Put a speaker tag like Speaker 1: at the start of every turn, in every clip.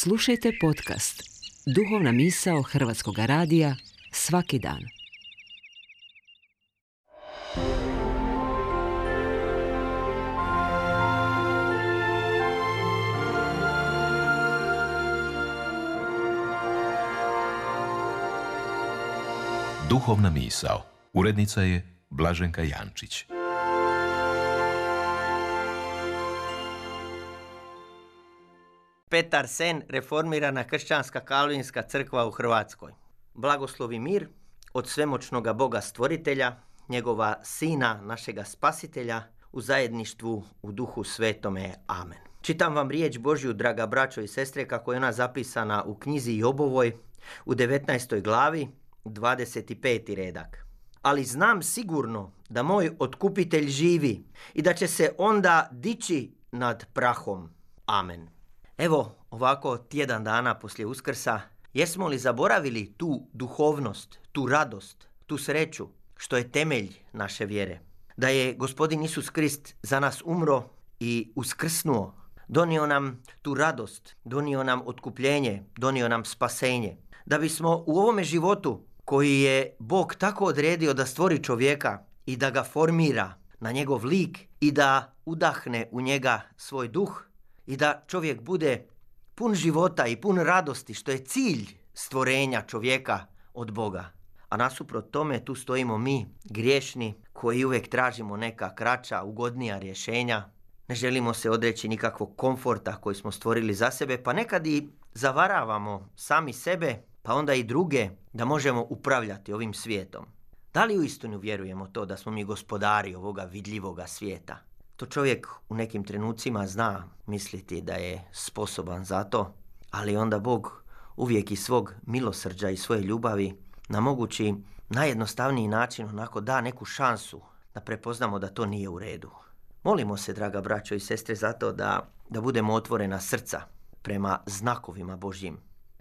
Speaker 1: Slušajte podcast Duhovna misao Hrvatskog radija svaki dan.
Speaker 2: Duhovna misao. Urednica je Blaženka Jančić.
Speaker 3: Petar Sen, reformirana kršćanska kalvinska crkva u Hrvatskoj. Blagoslov i mir od svemoćnoga Boga stvoritelja, njegova Sina, našega Spasitelja, u zajedništvu u Duhu Svetome. Amen. Čitam vam riječ Božju, draga braćo i sestre, kako je ona zapisana u knjizi Jobovoj u 19. glavi, 25. redak. Ali znam sigurno da moj otkupitelj živi i da će se onda dići nad prahom. Amen. Evo, ovako tjedan dana poslije Uskrsa, jesmo li zaboravili tu duhovnost, tu radost, tu sreću, što je temelj naše vjere? Da je Gospodin Isus Krist za nas umro i uskrsnuo, donio nam tu radost, donio nam otkupljenje, donio nam spasenje. Da bismo u ovome životu, koji je Bog tako odredio da stvori čovjeka i da ga formira na njegov lik i da udahne u njega svoj duh, i da čovjek bude pun života i pun radosti, što je cilj stvorenja čovjeka od Boga. A nasuprot tome tu stojimo mi, griješni, koji uvijek tražimo neka kraća, ugodnija rješenja. Ne želimo se odreći nikakvog komforta koji smo stvorili za sebe, pa nekad i zavaravamo sami sebe, pa onda i druge, da možemo upravljati ovim svijetom. Da li uistinu vjerujemo to da smo mi gospodari ovoga vidljivoga svijeta? To čovjek u nekim trenucima zna misliti da je sposoban za to, ali onda Bog uvijek iz svog milosrđa i svoje ljubavi na mogući najjednostavniji način onako da neku šansu da prepoznamo da to nije u redu. Molimo se, draga braćo i sestre, zato da budemo otvorena srca prema znakovima Božjim.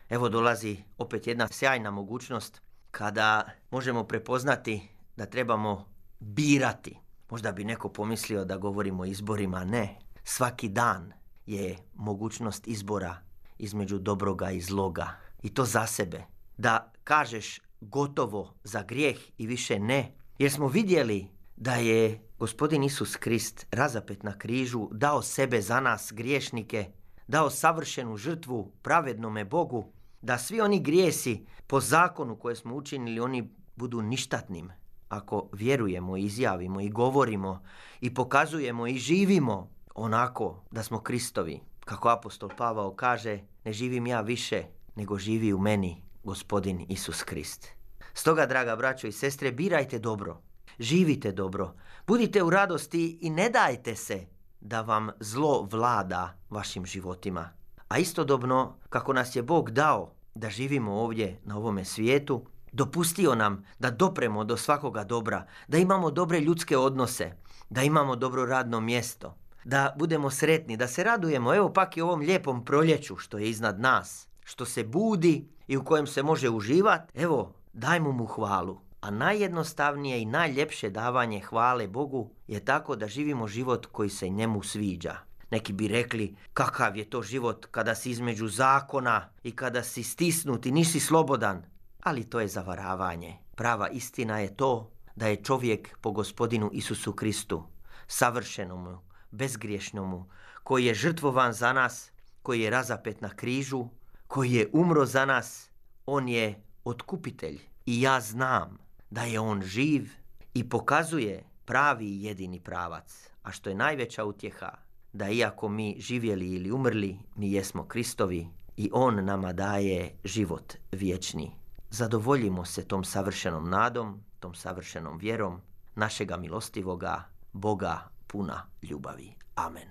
Speaker 3: Evo dolazi opet jedna sjajna mogućnost kada možemo prepoznati da trebamo birati. Možda bi neko pomislio da govorimo o izborima. Ne, svaki dan je mogućnost izbora između dobroga i zloga. I to za sebe. Da kažeš gotovo za grijeh i više ne. Jer smo vidjeli da je Gospodin Isus Krist razapet na križu dao sebe za nas griješnike, dao savršenu žrtvu pravednome Bogu, da svi oni grijesi po zakonu koje smo učinili, oni budu ništatnim. Ako vjerujemo, izjavimo i govorimo i pokazujemo i živimo onako da smo Kristovi, kako apostol Pavao kaže, ne živim ja više, nego živi u meni Gospodin Isus Krist. Stoga, draga braćo i sestre, birajte dobro, živite dobro, budite u radosti i ne dajte se da vam zlo vlada vašim životima. A istodobno, kako nas je Bog dao da živimo ovdje na ovome svijetu, dopustio nam da dopremo do svakoga dobra, da imamo dobre ljudske odnose, da imamo dobro radno mjesto, da budemo sretni, da se radujemo, evo pak i ovom lijepom proljeću što je iznad nas, što se budi i u kojem se može uživati. Evo, dajmo mu hvalu. A najjednostavnije i najljepše davanje hvale Bogu je tako da živimo život koji se njemu sviđa. Neki bi rekli, kakav je to život kada si između zakona i kada si stisnut i nisi slobodan. Ali to je zavaravanje. Prava istina je to da je čovjek po Gospodinu Isusu Kristu, savršenomu, bezgriješnomu, koji je žrtvovan za nas, koji je razapet na križu, koji je umro za nas, on je otkupitelj. I ja znam da je on živ i pokazuje pravi i jedini pravac. A što je najveća utjeha, da iako mi živjeli ili umrli, mi jesmo Kristovi i on nama daje život vječni. Zadovoljimo se tom savršenom nadom, tom savršenom vjerom našega milostivoga Boga puna ljubavi. Amen.